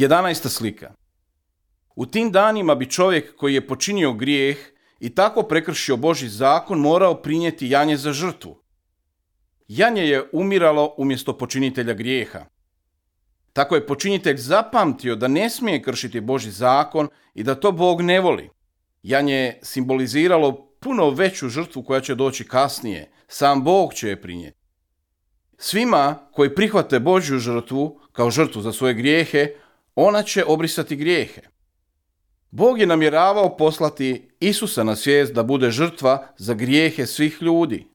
11. slika. U tim danima bi čovjek koji je počinio grijeh i tako prekršio Božji zakon morao prinijeti janje za žrtvu. Janje je umiralo umjesto počinitelja grijeha. Tako je počinitelj zapamtio da ne smije kršiti Božji zakon i da to Bog ne voli. Janje je simboliziralo puno veću žrtvu koja će doći kasnije. Sam Bog će je prinijeti. Svima koji prihvate Božju žrtvu kao žrtvu za svoje grijehe, ona će obrisati grijehe. Bog je namjeravao poslati Isusa na svijet da bude žrtva za grijehe svih ljudi.